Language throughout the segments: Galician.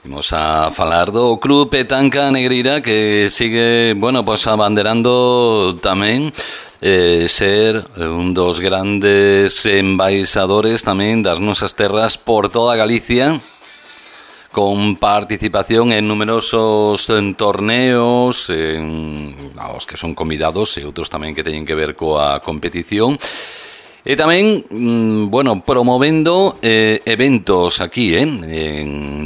Imos a falar do Club Petanca Negreira que sigue, pois abanderando tamén ser un dos grandes embaixadores tamén das nosas terras por toda Galicia, con participación en numerosos torneos aos que son convidados e outros tamén que teñen que ver coa competición. E tamén, promovendo eventos aquí, en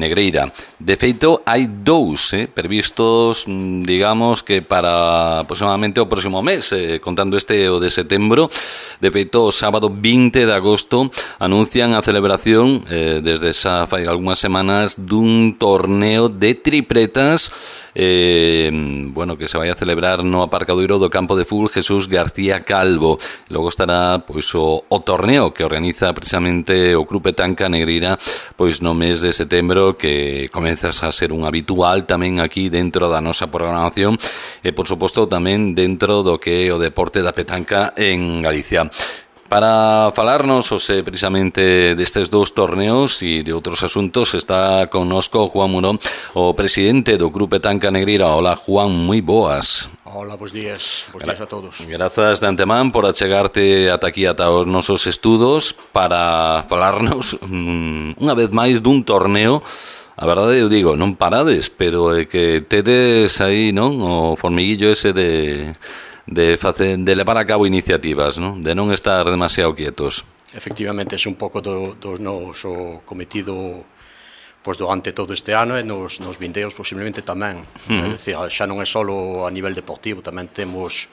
Negreira. De feito, hai dous previstos, digamos, que para aproximadamente o próximo mes, contando o de setembro. De feito, o sábado 20 de agosto anuncian a celebración, desde xa fai algunhas semanas, dun torneo de tripletas, que se vai a celebrar no aparcadoiro do campo de fútbol Jesús García Calvo. Logo estará pois o torneo que organiza precisamente o Club Petanca Negreira pois no mes de setembro, que comezas a ser un habitual tamén aquí dentro da nosa programación e por suposto tamén dentro do que é o deporte da petanca en Galicia. Para falarnos precisamente destes dous torneos e de outros asuntos está connosco Juan Murón, o presidente do Club Petanca Negreira. Hola, Juan, moi boas. Hola, bons días a todos. Grazas de antemán por achegarte ata aquí, ata os nosos estudos, para falarnos unha vez máis dun torneo. A verdade, eu digo, non parades, pero é que tedes aí, non, o formiguillo ese de levar a cabo iniciativas, non? De non estar demasiado quietos. Efectivamente, é un pouco do noso cometido pois durante todo este ano e nos vindeiros posiblemente tamén. É dicir, xa non é só a nivel deportivo, tamén temos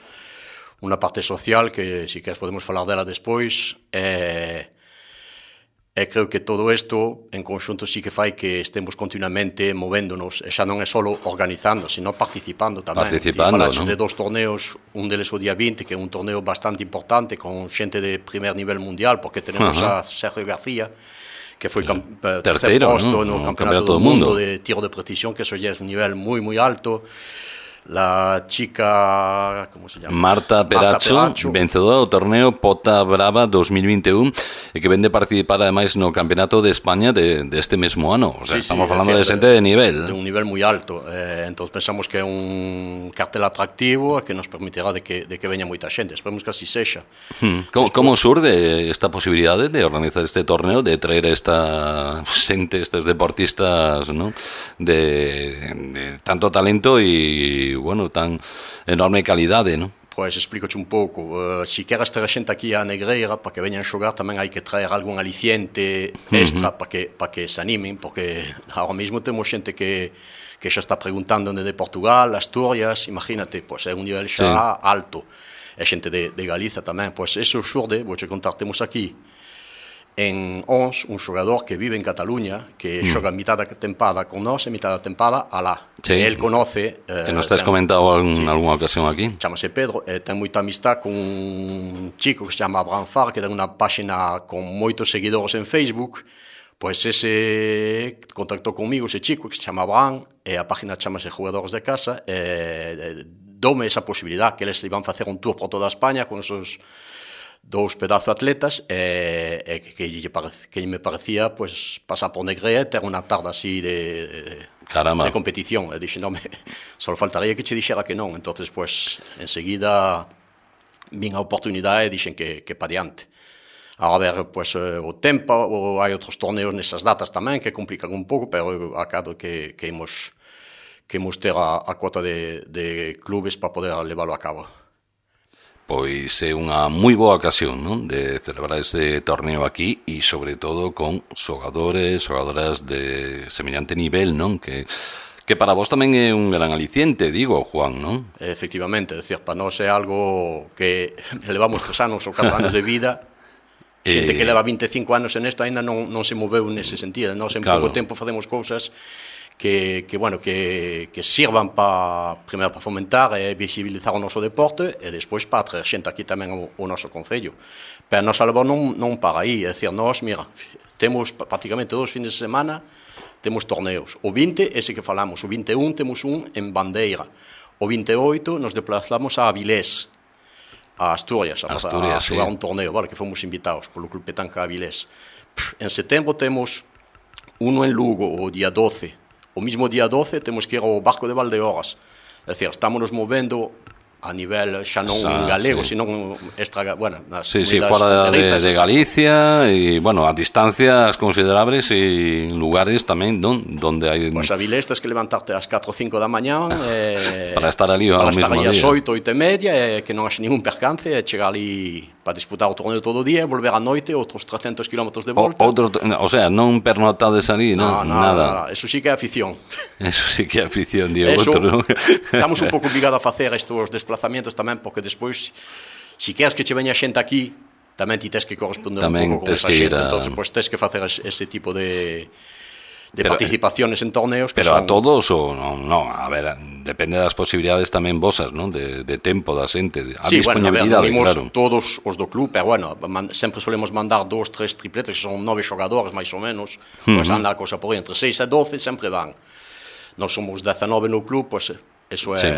unha parte social que, se queres, podemos falar dela despois. E creo que todo isto en conxunto sí que fai que estemos continuamente movéndonos, e xa non é só organizando, sino participando tamén. Falaches de dos torneos, un deles o día 20, que é un torneo bastante importante con xente de primer nivel mundial, porque tenemos a Sergio García, que foi terceiro posto no Campeonato do Mundo de tiro de precisión, que eso ya es un nivel moi, moi alto. La chica, ¿cómo se llama? Marta Peracho, vencedora do torneo Pota Brava 2021 e que vende participar ademais no Campeonato de España deste mesmo ano. O sea, estamos falando de xente de nivel. De un nivel moi alto. Entón pensamos que é un cartel atractivo que nos permitirá de que veña moita xente. Esperemos que así sexa. Como surde esta posibilidade de organizar este torneo, de traer esta xente, estes deportistas, ¿no? de tanto talento e tan enorme calidade, non? Pois explícoche un pouco. Se queres ter a xente aquí a Negreira para que veñan xogar, tamén hai que traer algún aliciente extra para que se animen, porque ahora mesmo temos xente que xa está preguntando de Portugal, Asturias, imagínate, pois é un nivel xa alto. E xente de Galiza tamén. Pois eso xurde, vouche contar, temos aquí en Ons un xogador que vive en Cataluña, que xoga mitad da tempada con nós e mitad da tempada alá. El conoce... que nos has comentado en algunha ocasión aquí. Chámase Pedro, ten moita amistad con un chico que se chama Abraham Far, que ten unha páxina con moitos seguidores en Facebook. Pois ese contactou comigo, ese chico que se chama Abraham, e a página chamase Jugadores de Casa, e doume esa posibilidad, que eles iban facer un tour por toda España con esos dous pedazos atletas, que me parecía pues pasar por Negreira e ter unha tarde así de competición. E dixe, só faltaría que che dixera que non. Entonces, pues, enseguida vin a oportunidade e dixen que pa diante. A ver, pues, o tempo, hai outros torneos nesas datas tamén que complican un pouco, pero acado que imos ter a cuota de clubes para poder leválo a cabo. Pois é unha moi boa ocasión, non? De celebrar ese torneo aquí e, sobre todo, con xogadoras de semellante nivel, non? Que para vos tamén é un gran aliciente, digo, Juan, non? Efectivamente, é dicir, para nós é algo que levamos 3 anos ou 4 anos de vida, xente que leva 25 anos en isto ainda non se moveu nese sentido. Nós en pouco tempo facemos cousas que sirvan primeiro para fomentar e visibilizar o noso deporte e despois para traer xente aquí tamén o noso concello. Pero a nosa labor non para aí, é dicir, nós, temos prácticamente 2 fins de semana, temos torneos. O 20, ese que falamos, o 21 temos un en Bandeira. O 28 nos desplazamos a Avilés, a Asturias, a xogar un torneo, que fomos invitados polo Club Petanca Avilés. En setembro temos uno en Lugo, o día 12, o mismo día 12 temos que ir ao barco de Valdeorras. É dicir, estamos nos movendo a nivel xa non galego, sino nas fuera de Galicia e, bueno, a distancias considerables e lugares tamén donde hai... Pois a Vilesta es que levantarte ás 4 ou 5 da mañá para estar ali ao mesmo día. Para estar ali ás 8, 8 e media, que non haxe ningún percance, e chegar ali para disputar o torneo todo o día, volver a noite, outros 300 km de volta. O sea, non pernotades ali, nada. Eso sí que é afición. Eso sí que é afición, Diego. Estamos un pouco obligados a facer estes desplazamientos tamén, porque despois, se queres que che veña xente aquí, tamén ti tes que corresponder un pouco con esa xente. Entón, pues, tes que facer ese tipo de participaciones en torneos que pero son... a todos ou non, a ver, depende das posibilidades tamén vosas, non? De tempo da xente, a disponibilidade, claro. Todos os do club, pero bueno, sempre solemos mandar 2, 3 tripletes, que son 9 xogadores máis ou menos, pois anda a cosa por aí, entre 6 e 12 sempre van. Nós somos 19 no club, pois eso é... Sí.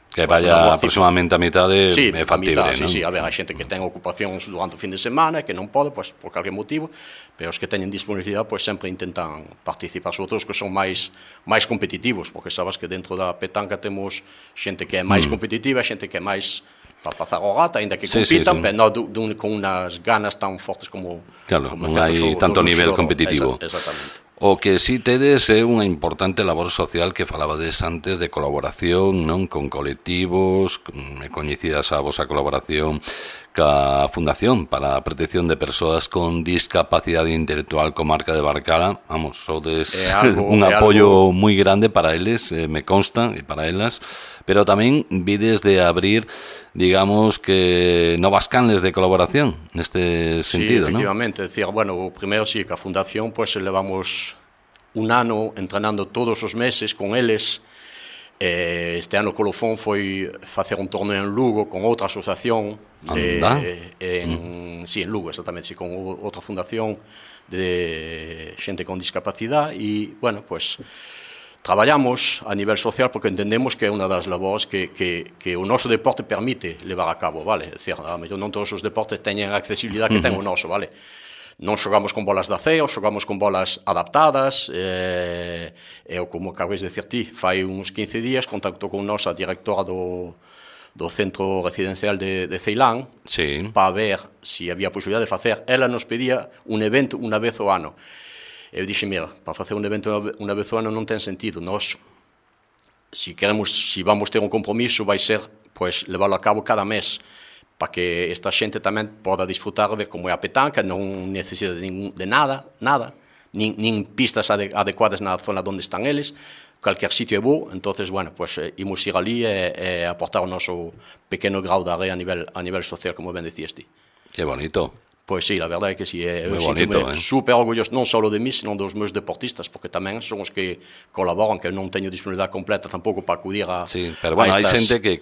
Que vaya aproximadamente a mitade é factible, non? Sí, a ver, hai xente que ten ocupacións durante o fin de semana, que non pode, pois, por calquer motivo, pero os que teñen disponibilidade, pois, sempre intentan participar, sobre todo os que son máis competitivos, porque sabes que dentro da petanca temos xente que é máis competitiva, xente que é máis para pasar o rato, ainda que compitan, pero non con unas ganas tan fortes como... Claro, non hai tanto nivel competitivo. Exactamente. O que si tedes é unha importante labor social que falabades antes de colaboración, non, con colectivos, coñecidas a vosa colaboración ca Fundación para a Protección de Persoas con Discapacidade Intelectual Comarca de Barcala. Vamos, sodes un apoio moi grande para eles, me consta, e para elas, pero tamén vides de abrir, digamos, que novas canles de colaboración neste sentido, non? Sí, efectivamente, decir, bueno, o primeiro sí, que a Fundación, pues, levamos un ano entrenando todos os meses con eles. Este ano Colofón foi facer un torneo en Lugo con outra asociación en Lugo, exactamente, con outra fundación de xente con discapacidade e, bueno, pues traballamos a nivel social porque entendemos que é unha das labores que o noso deporte permite levar a cabo, vale? É dicir, a mellor non todos os deportes teñen a accesibilidade que ten o noso, vale? Non xogamos con bolas de aceo, xogamos con bolas adaptadas, e como acabes de dicir ti, fai uns 15 días contactou con nos a directora do centro residencial de Ceilán, para ver se había posibilidade de facer. Ela nos pedía un evento unha vez ao ano. Eu dixe, mira, para facer un evento unha vez ao ano non ten sentido. Nós, se vamos ter un compromiso, vai ser, pois, leválo a cabo cada mes, para que esta xente tamén poda disfrutar, ver como é a petanca, non necesita de nada, nin pistas adecuadas na zona onde están eles, calquer sitio é bo, entonces, bueno, pues imos ir ali e aportar o noso pequeno grau de area a nivel social, como ben decías ti. Que bonito. Pois sí, a verdade é que sí, eu sinto super orgulloso, non só de mí, senón dos meus deportistas, porque tamén son os que colaboran, que non teño disponibilidade completa tampouco para acudir a... Sí, pero bueno, hai xente que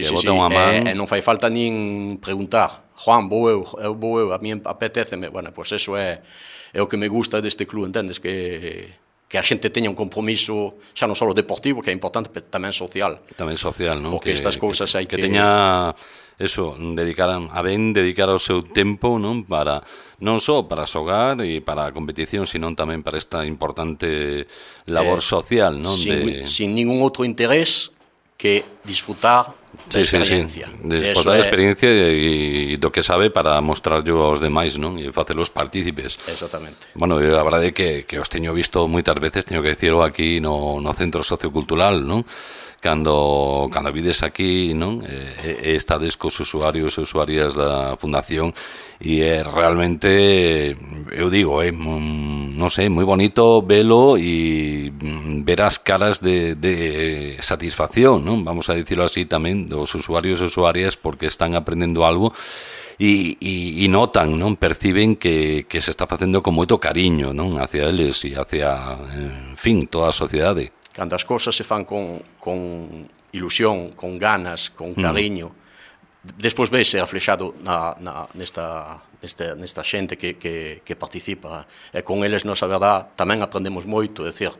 bota unha man... E non fai falta nin preguntar, Juan, vou eu, a mí apetéceme, bueno, pois eso é o que me gusta deste club, entendes, que a xente teña un compromiso xa non só deportivo, que é importante, pero tamén social. Tamén social, non? Porque estas cousas hai que teña eso, dedicar o seu tempo, non? Para non só para xogar e para a competición, sino tamén para esta importante labor social, non? Sin ningún outro interés que disfrutar da experiencia. Disfrutar da experiencia e do que sabe para mostrarlo aos demais, non? E facelos partícipes. Exactamente. Bueno, a verdade é que os teño visto moitas veces, teño que dicirlo aquí no Centro Sociocultural, non? Cando vides aquí, non? Estades cos usuarios e usuarias da Fundación e é realmente, eu digo, non sei, moi bonito velo e ver as caras de satisfacción, non? Vamos a dicirlo así tamén, dos usuarios e usuarias, porque están aprendendo algo e notan, non? Perciben que se está facendo con moito cariño, non? Hacia eles e hacia, en fin, toda a sociedade. Cando as cousas se fan con ilusión, con ganas, con cariño, despois vese reflexado nesta xente que participa, e con eles, nos, a verdad, tamén aprendemos moito, é dicir,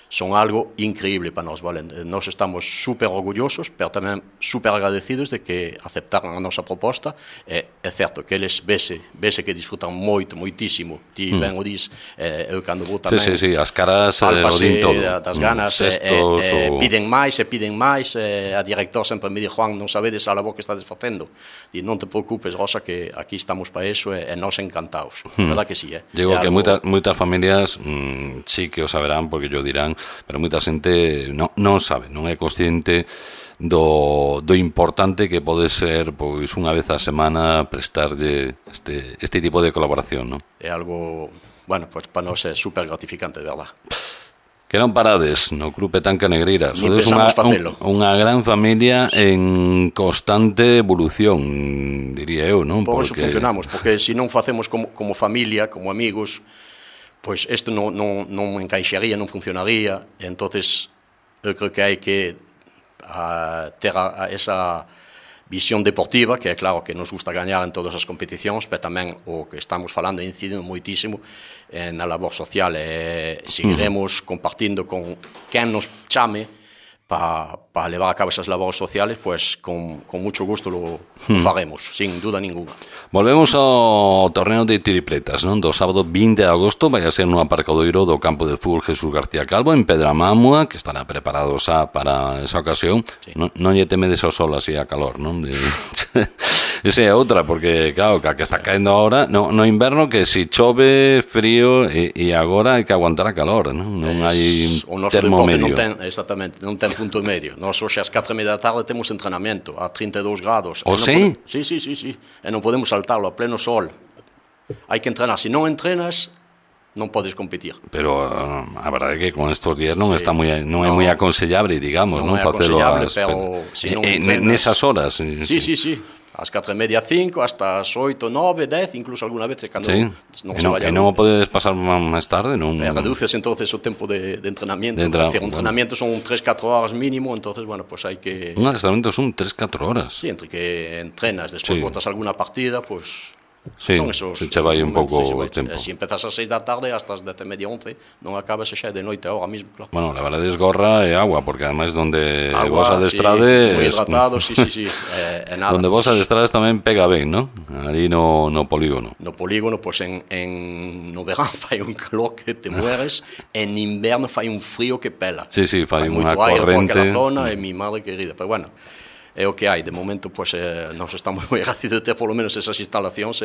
son algo increíble para nós, vale? Nós estamos super orgullosos, pero tamén super agradecidos de que aceptaran a nosa proposta. É certo que eles vese que disfrutan moitísimo. Ti ben o dis, eu cando vou tamén... Sí, as caras o din todo. Das ganas, piden máis, a director sempre me di, Juan, non sabedes a labor que estades facendo. E non te preocupes, Rosa, que aquí estamos para eso e nós encantados. Verdad que sí, Digo que moitas familias sí que o saberán, porque yo dirán, pero moita xente non sabe, non é consciente do importante que pode ser pois unha vez a semana prestarlle este tipo de colaboración, non? É algo, bueno, pois para nós é super gratificante, de verdad. Que non parades no Club Petanca Negreira. Sodes unha gran familia en constante evolución, diría eu, non? Por eso funcionamos, porque se non facemos como familia, como amigos, pois isto non encaixaría, non funcionaría. Entonces, eu creo que hai que ter esa visión deportiva, que é claro que nos gusta gañar en todas as competicións, pero tamén o que estamos falando incidindo moitísimo na labor social, e seguiremos compartindo con quen nos chame para levar a cabo esas labores sociales, pues con mucho gusto lo faremos, sin duda ninguna. Volvemos ao torneo de tripletas, non? Do sábado 20 de agosto vai a ser no aparcadoiro do campo de fútbol Jesús García Calvo en Pedramamua, que estará preparado xa para esa ocasión. Sí. Non lle temedes ao sol así a calor, non? Esa é outra, porque claro, que está caendo agora no inverno, que si chove, frío e agora hai que aguantar a calor, non? Non hai termo medio. Exactamente, non ten punto medio. Nós hoxe ás 4:30 da tarde temos entrenamento a 32 grados. O sí? Sí. E non podemos saltarlo a pleno sol. Hai que entrenar. Se non entrenas, non podes competir. Pero a verdade é que con estos días non está non é moi aconsellable, digamos, non facelo nesas horas. Sí. Ás 4:30, 5, hasta as 8, 9, 10, incluso alguna vez cando non se vaya. E non o podes pasar máis tarde, non? Reduces entonces o tempo de entrenamiento. Entrenamiento son 3-4 horas mínimo, entonces, bueno, pues hai que... Un adestramento son 3-4 horas. Sí, entre que entrenas, despois botas alguna partida, pues... Sí, se che vai un pouco o tempo. Se empezas ás 6 da tarde hasta as 10:30, 11, non acabas xa de noite agora mismo, claro. Bueno, la verdade es gorra e agua, porque ademais donde vos adestrades... Moi hidratado, sí. Nada. Donde vos adestrades tamén pega ben, non? Ali no polígono. No polígono, pois no verán fai un calor que te mueres, en inverno fai un frío que pela. Sí, fai unha corrente. Fai zona, e mi madre querida, pero bueno... É o que hai, de momento pues, nós estamos moi agradecidos de ter polo menos esas instalacións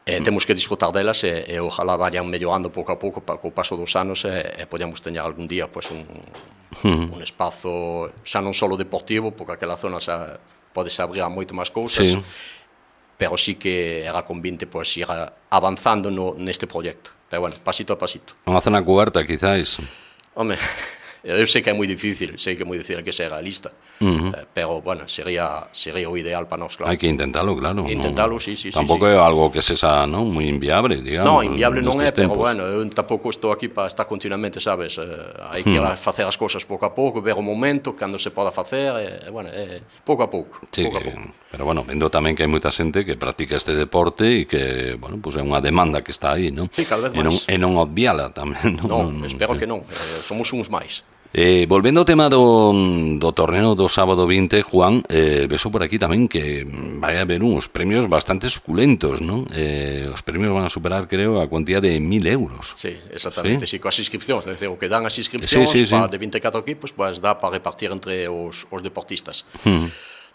temos que disfrutar delas e ojalá vayan mellorando pouco a pouco para que o paso dos anos e podamos teñar algún día pues, un espazo xa non só deportivo, porque aquela zona xa pode se abrir a moito máis cousas, pero sí que era convinte pues, ir avanzando neste proxecto, pero bueno, pasito a pasito. Unha zona cuberta, quizáis? Home... Eu sei que é moi difícil que sea realista, pero, bueno, sería o ideal para nós, claro. Hai que intentalo, claro. Intentalo, sí. Tampouco é algo que sexa, non, moi inviable, digamos. Non, inviable non é, pero, bueno, eu tampouco estou aquí para estar continuamente, sabes, hai que facer as cousas pouco a pouco, ver o momento, cando se poda facer, bueno, pouco a pouco. Sí, pero, bueno, vendo tamén que hai moita xente que practica este deporte e que, bueno, pues é unha demanda que está aí, non? Sí, cada vez máis. E non obviala tamén, non? Non, espero que non, somos uns máis. Volvendo ao tema do torneo do sábado 20, Juan, vexo por aquí tamén que vai haber uns premios bastante suculentos, non? Os premios van a superar, creo, a cuantía de 1.000 euros. Sí, exactamente, sí, coas inscripcións, é dicir, o que dan as inscripcións de 24 equipos, pues dá para repartir entre os deportistas.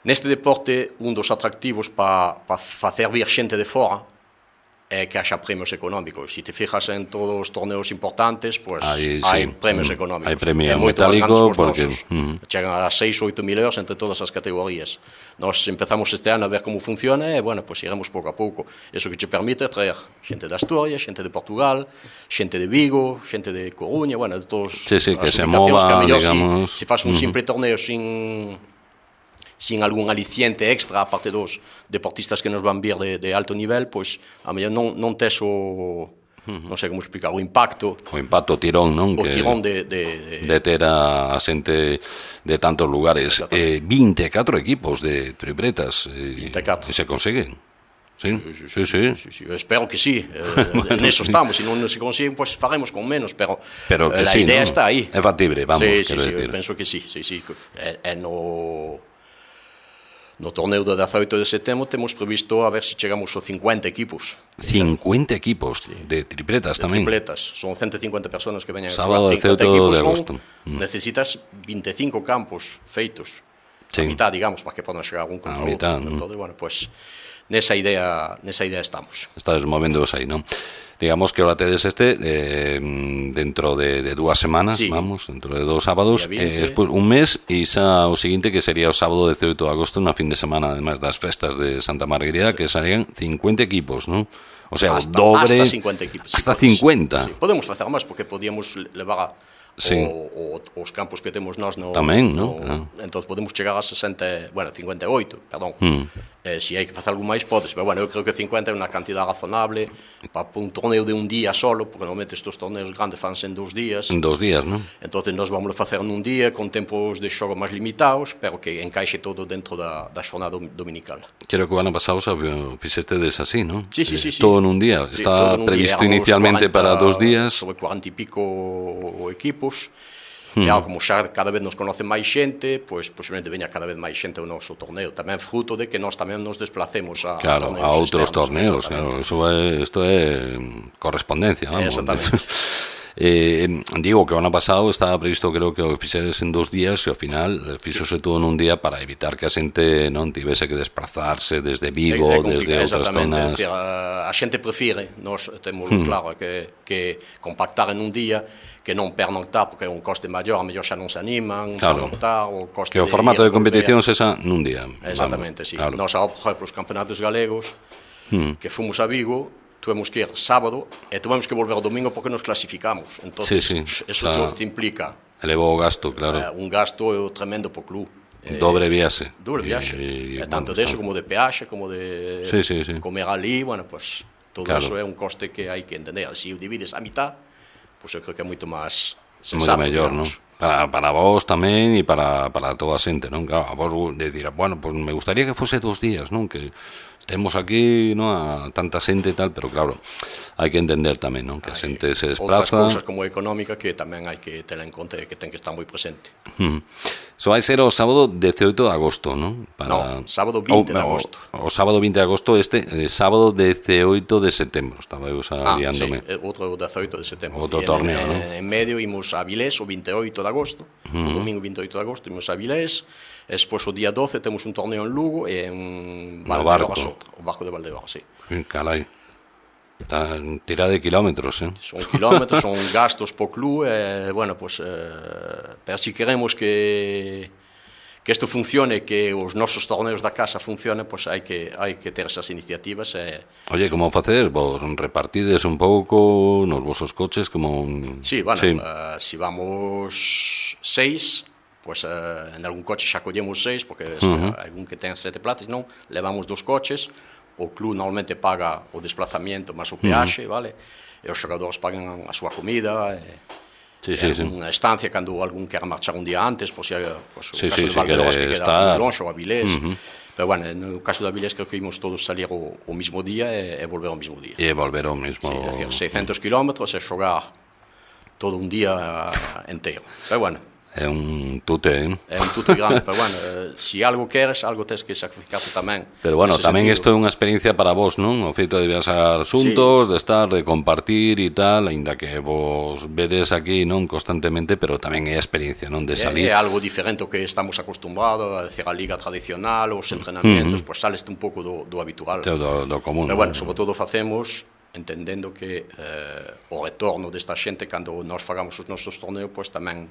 Neste deporte, un dos atractivos para facer vir xente de fora é que haxa premios económicos. Se te fijas en todos os torneos importantes, pues hai premios económicos. Hai premio metálico, porque chegan a 6 ou 8.000 euros entre todas as categorías. Nós empezamos este ano a ver como funciona e, bueno, pues iremos pouco a pouco. Eso que te permite traer xente de Asturias, xente de Portugal, xente de Vigo, xente de Coruña, bueno, de todos que se mova, digamos. Se faz un simple torneo sin algún aliciente extra, aparte dos deportistas que nos van vir de alto nivel, pois a mellor non tes non sei como explicar, o impacto, tirón, non? O tirón de ter a xente de tantos lugares. 24 equipos de tripletas, e se conseguen. Sí. Eu espero que sí, neso estamos, se non se consiguen, pois faremos con menos, pero que a sí, idea ¿no? está aí. É factible, vamos, quero decir. Eu penso que sí. No torneo do 18 de setembro temos previsto a ver se chegamos aos 50 equipos. 50 equipos de tripletas tamén. Tripletas, son 150 personas que veñan a Sábado 50 18 equipos de agosto. Necesitas 25 campos feitos. Sí. A mitad, digamos, para que podan chegar un contra outro. Entonces, bueno, pues nesa idea estamos. Estades movéndoos aí, non? Digamos que ahora tedes dentro de 2 semanas, sí. Vamos, dentro de 2 sábados, despois un mes e xa o seguinte que sería o sábado 18 de agosto, na fin de semana, además das festas de Santa Margarida, sí. Que serían 50 equipos, non? O sea, o dobre... Hasta 50 equipos. Hasta 50. Sí. Podemos facer máis, porque podíamos levar sí. os campos que temos nós tamén, non? Entón podemos chegar a 58, perdón. Se hai que facer algo máis, podes, pero bueno, eu creo que 50 é unha cantidad razonable para un torneo de un día solo, porque normalmente estes torneos grandes fanse en 2 días. En 2 días, non? Entón nós vamos a facer nun día con tempos de xogo máis limitados, pero que encaixe todo dentro da xornada dominical. Creo que o ano pasado fixestedes así, non? Sí. Todo nun día. Sí, está previsto inicialmente 40, para 2 días. Sobre 40 e pico equipos. E como xa cada vez nos conoce máis xente, pois posiblemente veña cada vez máis xente ao noso torneo. Tamén fruto de que nós tamén nos desplacemos a outros torneos. Claro, isto é correspondencia, vamos. Exactamente. Digo que o ano pasado estaba previsto, creo que o fixeres en 2 días e ao final fixose todo nun día para evitar que a xente non tivese que desplazarse desde Vigo, desde outras zonas. Decir, a xente prefire, nós temos claro que compactar en un día, que non pernoctar, porque é un coste maior, a mellor xa non se animan, claro. Pernoctar, o coste que o formato de competición sexa nun día. Exactamente, sí. Claro. Nós, por exemplo, os campeonatos galegos, que fomos a Vigo, tuvemos que ir sábado e tuvemos que volver o domingo porque nos clasificamos. Entón, eso te implica elevou o gasto, claro. Un gasto tremendo po club. Dobre viaxe. Dobre viaxe. Tanto de eso como de peaxe, como de comer ali, bueno, pues todo eso é un coste que hai que entender. Se o divides a mitad, pues eu creo que é moito máis sensato, mellor, non? Para vos tamén e para toda a xente, non? Claro, a vos decir, bueno, pues me gustaría que fose 2 días, non? Que temos aquí, non, a tanta xente e tal, pero claro, hai que entender tamén, non? Que a xente se desplaza. Outras cousas como a económica que tamén hai que ter en conta e que ten que estar moi presente. Iso vai ser o sábado 18 de agosto, non? No, sábado 20 de agosto. O sábado 20 de agosto, sábado 18 de setembro. Estaba eu guiándome. Sí, outro 18 de setembro. Outro torneo, non? En medio imos a Vilés o 28 de agosto, o domingo 28 de agosto imos a Vilés, despois o día 12 temos un torneo en Lugo e en Valdeorras, o barco de Valdeorras, sí. Carai. Está tirada de kilómetros, Son kilómetros, son gastos po club, bueno, pues, pero si queremos que isto funcione, que os nosos torneos da casa funcionen, pues hai que ter esas iniciativas. Oye, como facedes? Vos repartides un pouco nos vosos coches como... Sí, bueno, si vamos 6, pues en algún coche xa collemos 6, porque algún que ten 7 plazas, non, levamos 2 coches. O club normalmente paga o desplazamiento máis o peaxe, vale? E os xogadores pagan a súa comida, unha estancia cando algún quer marchar un día antes, pois o caso de Valdeorras que queda longe ou a Vilés. Pero bueno, no caso da Vilés creo que imos todos salir o mismo día e volver ao mismo día. E volver ao mismo... Sí, é dicir, 600 kilómetros e xogar todo un día inteiro. Pero bueno, é un tute, É un tute grande, pero bueno, se algo queres, algo tens que sacrificarte tamén. Pero bueno, tamén isto é unha experiencia para vos, non? O feito de viaxar xuntos, de estar, de compartir e tal, aínda que vos vedes aquí, non, constantemente, pero tamén é a experiencia, non, de salir. É algo diferente ao que estamos acostumbrados, a decir, a liga tradicional, os entrenamientos, pois sales un pouco do habitual. Do común. Pero bueno, sobre todo facemos entendendo que o retorno desta xente cando nós fagamos os nosos torneos, pois tamén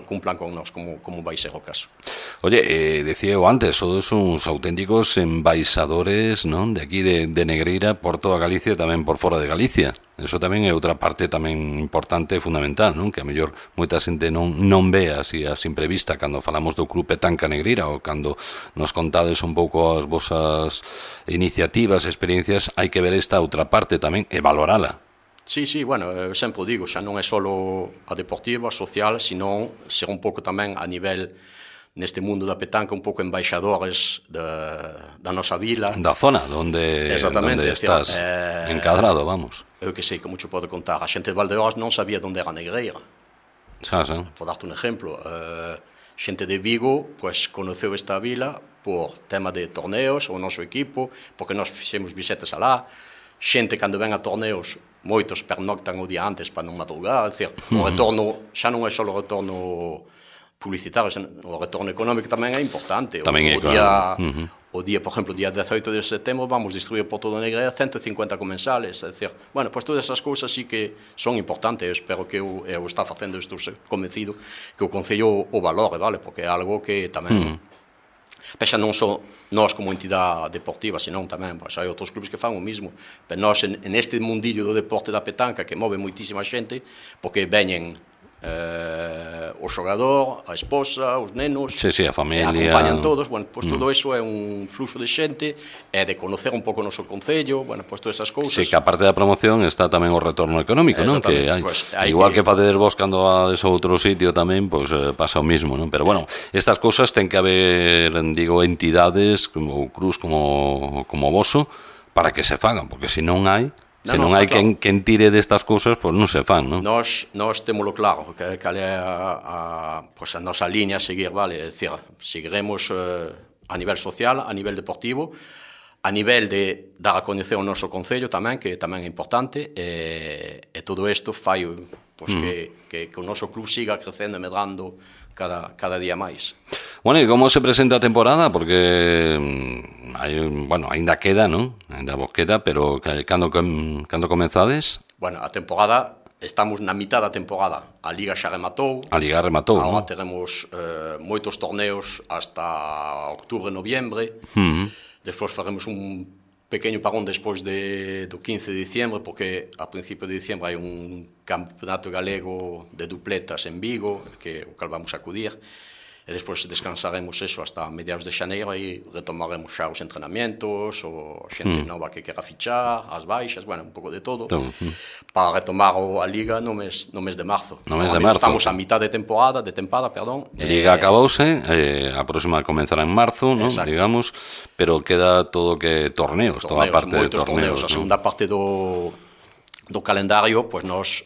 cumplan con nós, como vai ser o caso. Oye, decía eu antes, sodes uns auténticos embaixadores, non, de aquí de Negreira por toda Galicia e tamén por fora de Galicia. Eso tamén é outra parte tamén importante e fundamental, non? Que a mellor moita xente non ve así a simple vista cando falamos do Club Petanca Negreira ou cando nos contades un pouco as vosas iniciativas, experiencias, hai que ver esta outra parte tamén e valorala. Sí, bueno, eu sempre digo, xa non é só a deportiva, a social, sino ser un pouco tamén a nivel neste mundo da petanca un pouco embaixadores da nosa vila. Da zona onde estás encadrado, vamos. Eu que sei, como te pode contar, a xente de Valdeorras non sabía onde era a Negreira. Por darte un exemplo, xente de Vigo, pois, conoceu esta vila por tema de torneos, o noso equipo, porque nós fixemos visitas alá. Xente, cando ven a torneos, moitos pernoctan o día antes para non madrugar, é dicir, o retorno xa non é só o retorno publicitario, o retorno económico tamén é importante. O día, por exemplo, o día 18 de setembro vamos distribuir por todo o Negreira 150 comensales, é dicir, bueno, pois todas esas cousas sí que son importantes, eu espero que eu está facendo isto convencido que o Concello o valore, vale, porque é algo que tamén Pexa non só nós como entidade deportiva, senón tamén, pois, hai outros clubes que fan o mismo. Pero nós, en este mundillo do deporte da petanca, que move moitísima xente, porque veñen o xogador, a esposa, os nenos, a familia, acompañan todos, bueno, pois todo eso é un fluxo de xente, é de conocer un pouco o noso concello, bueno, pois todas esas cousas. Sí, que aparte da promoción está tamén o retorno económico, non? Que hai, pues, igual que facedes vos cando vades a outro sitio tamén, pois pasa o mismo, non? Pero bueno, estas cousas ten que haber, digo, entidades como Cruz, como voso, para que se fagan, porque se non hai se non hai quen tire destas cousas, pois non se fan, non? Nós témolo claro, que é a nosa liña a seguir, vale? É dicir, seguiremos a nivel social, a nivel deportivo, a nivel de dar a coñecer o noso concello tamén, que tamén é importante, e todo isto fai que o noso club siga crecendo e medrando cada día máis. Bueno, e como se presenta a temporada? Porque ainda queda, non? Ainda vos queda, pero cando comenzades? Bueno, a temporada, estamos na mitad da temporada. A Liga xa rematou. Agora teremos moitos torneos hasta outubro, noviembre. Despois faremos un pequeño parón despois do 15 de diciembre, porque a principio de diciembre hai un campeonato galego de dupletas en Vigo, que o cal vamos a acudir, e despois descansaremos eso hasta mediados de xaneiro, e retomaremos xa os entrenamientos, o xente nova que quera fichar, as baixas, bueno, un pouco de todo, para retomar a Liga no mes de marzo. Estamos a mitad de tempada, perdón. A Liga acabouse, a próxima comenzará en marzo, non? Digamos, pero queda todo que torneos, toda a parte de torneos. A segunda parte do calendario, pois nós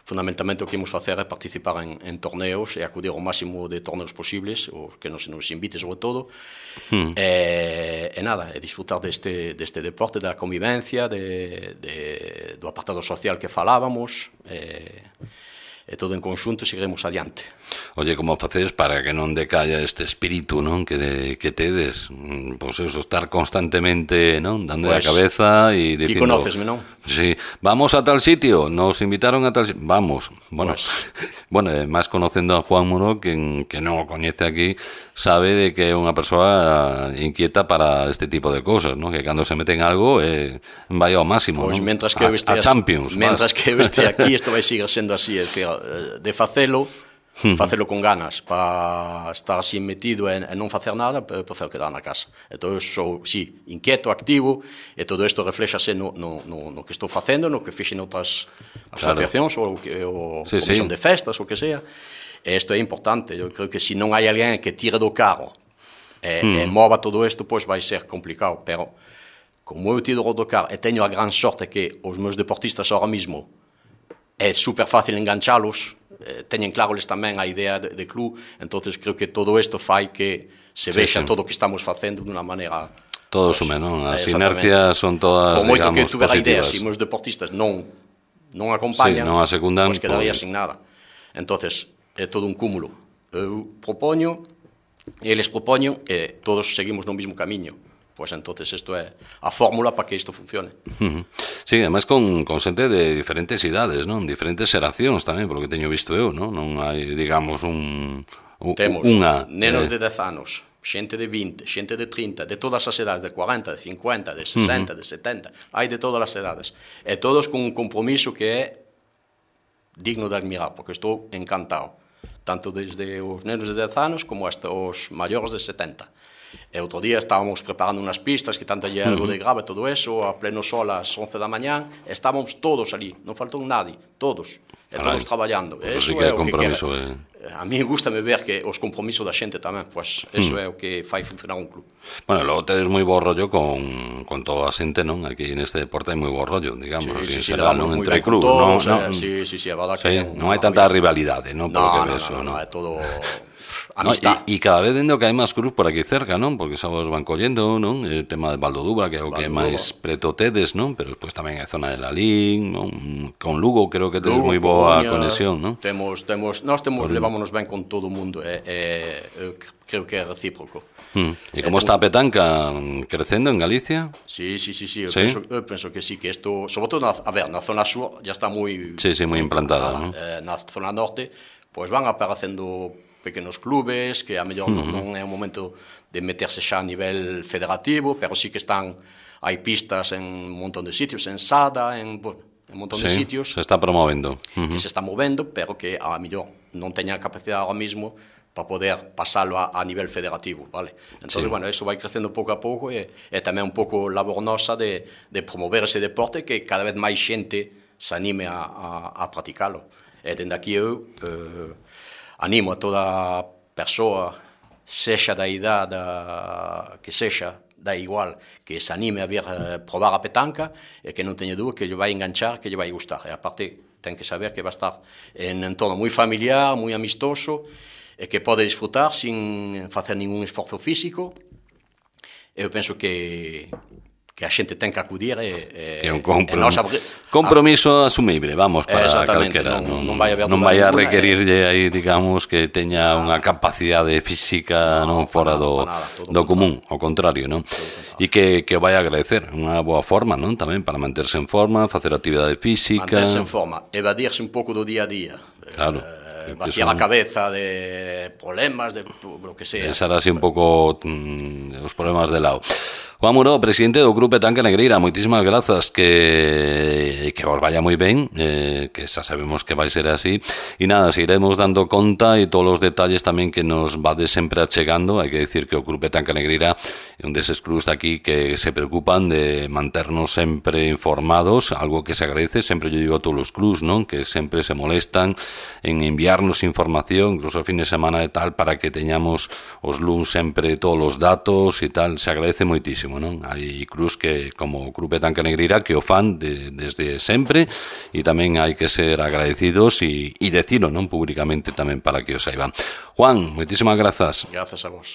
fundamentalmente o que imos facer é participar en torneos e acudir ao máximo de torneos posibles, o que nos invite sobre todo, e nada, e disfrutar deste deporte, da convivencia, do apartado social que falábamos, e todo en conxunto seguiremos adiante. Oye, como facedes para que non decalla este espírito, non, que tedes, pois eso, estar constantemente, non, dando a cabeza e dicindo... Ti conócesme, non? Sí, vamos a tal sitio, nos invitaron a tal sitio, vamos. Bueno, máis conocendo a Juan Muro, que non o coñece aquí, sabe de que é unha persoa inquieta para este tipo de cosas, non? Que cando se mete en algo vai ao máximo, non? A Champions. Mentras que eu este aquí, isto vai seguir sendo así, é dicir, de facelo con ganas, para estar así metido e non facer nada, prefiro quedar na casa. Entón, sou, sí, inquieto, activo, e todo isto reflexase no que estou facendo, no que fixen outras asociacións, ou comisión de festas, ou que sea. E isto é importante. Eu creo que se non hai alguén que tire do carro e mova todo isto, pois vai ser complicado. Pero, como eu tiro do carro e teño a gran sorte que os meus deportistas ahora mismo é super fácil enganchalos, teñen claro les tamén a idea de club, entonces creo que todo isto fai que se vexa todo o que estamos facendo dunha maneira... Todo sume, non? As inercias son todas, digamos, positivas. Como moito que tuvera idea, se os meus deportistas non acompañan, non a secundan, pois quedaría sin nada. Entonces, é todo un cúmulo. Eu propoño, eles propoñen, e todos seguimos no mesmo camiño. Pois entonces isto é a fórmula para que isto funcione. Sí, además con xente de diferentes idades, non? Diferentes xeracións tamén, polo que teño visto eu, non? Non hai, digamos, temos nenos de 10 anos, xente de 20, xente de 30, de todas as edades, de 40, de 50, de 60, de 70, hai de todas as edades. E todos con un compromiso que é digno de admirar, porque estou encantado. Tanto desde os nenos de 10 anos como hasta os maiores de 70. E outro día estábamos preparando unhas pistas que tanto lle algo de grave todo eso, a pleno sol ás 11 da mañá, estábamos todos ali, non faltou nadie, todos, e todos traballando. Eso sí que é compromiso. a mí gustame ver que os compromisos da xente tamén, pois eso é o que fai funcionar un club. Bueno, logo tedes moi bo rollo con toda a xente, non? Aquí neste deporte hai moi bo rollo, digamos, así en xeral, non? Entre clubs, non? Sí, a verdad que non hai tanta rivalidade, non? No, é todo amistad. E cada vez dendo que hai máis clubs por aquí cerca, non? Porque xa vos van collendo, non? O tema de Valdodubra, que é o que máis preto tedes, non? Pero despois tamén hai zona de Lalín, non? Con Lugo creo que tedes moi boa conexión, non? Levámonos ben con todo o mundo, creo que é recíproco. E como está a petanca crecendo en Galicia? Sí, eu penso que sí, que isto, sobre todo, na zona sur, ya está moi... Sí, moi implantada, non? Na zona norte, pois van aparecendo pequenos clubes, que a mellor non é o momento de meterse xa a nivel federativo, pero sí que hai pistas en un montón de sitios, en Sada, en un montón de sitios. Se está promovendo. Que se está movendo, pero que a mellor non teña capacidade ahora mismo para poder pasalo a nivel federativo, vale? Entón, bueno, eso vai crecendo pouco a pouco e tamén un pouco labor nosa de promover ese deporte que cada vez máis xente se anime a practicalo. E dende aquí eu animo a toda persoa, sexa da idade que sexa, da igual, que se anime a vir probar a petanca e que non teña dúbida que lle vai enganchar, que lle vai gustar. E aparte, ten que saber que vai estar en entorno moi familiar, moi amistoso, e que pode disfrutar sin facer ningún esforzo físico. Eu penso que a xente ten que acudir que é un compromiso asumible, vamos, para calquera. Non vai a requerirlle aí, digamos, que teña unha capacidade física non fora do común, ao contrario, non? E que vai a agradecer, unha boa forma, non? Tamén para manterse en forma, facer actividade física. Manterse en forma, evadirse un pouco do día a día. Claro. Vaciar a cabeza de problemas, de lo que sea. Deixar así un pouco os problemas de lado. Juan Muro, presidente do Club Petanca Negreira, moitísimas grazas, que vos vaya moi ben, que xa sabemos que vai ser así, e nada, seguiremos dando conta e todos os detalles tamén que nos vades sempre achegando. Hai que decir que o Club Petanca Negreira é un deses clubs aquí que se preocupan de manternos sempre informados, algo que se agradece, sempre yo digo a todos os clubs, non? Que sempre se molestan en enviarnos información, incluso a fin de semana e tal, para que teñamos os luns sempre todos os datos e tal, se agradece moitísimo, non? Hai clubs que, como o Club Petanca Negreira, que o fan desde sempre, e tamén hai que ser agradecidos e decilo, non? Públicamente tamén para que o saiban. Juan, moitísimas grazas. Grazas a vos.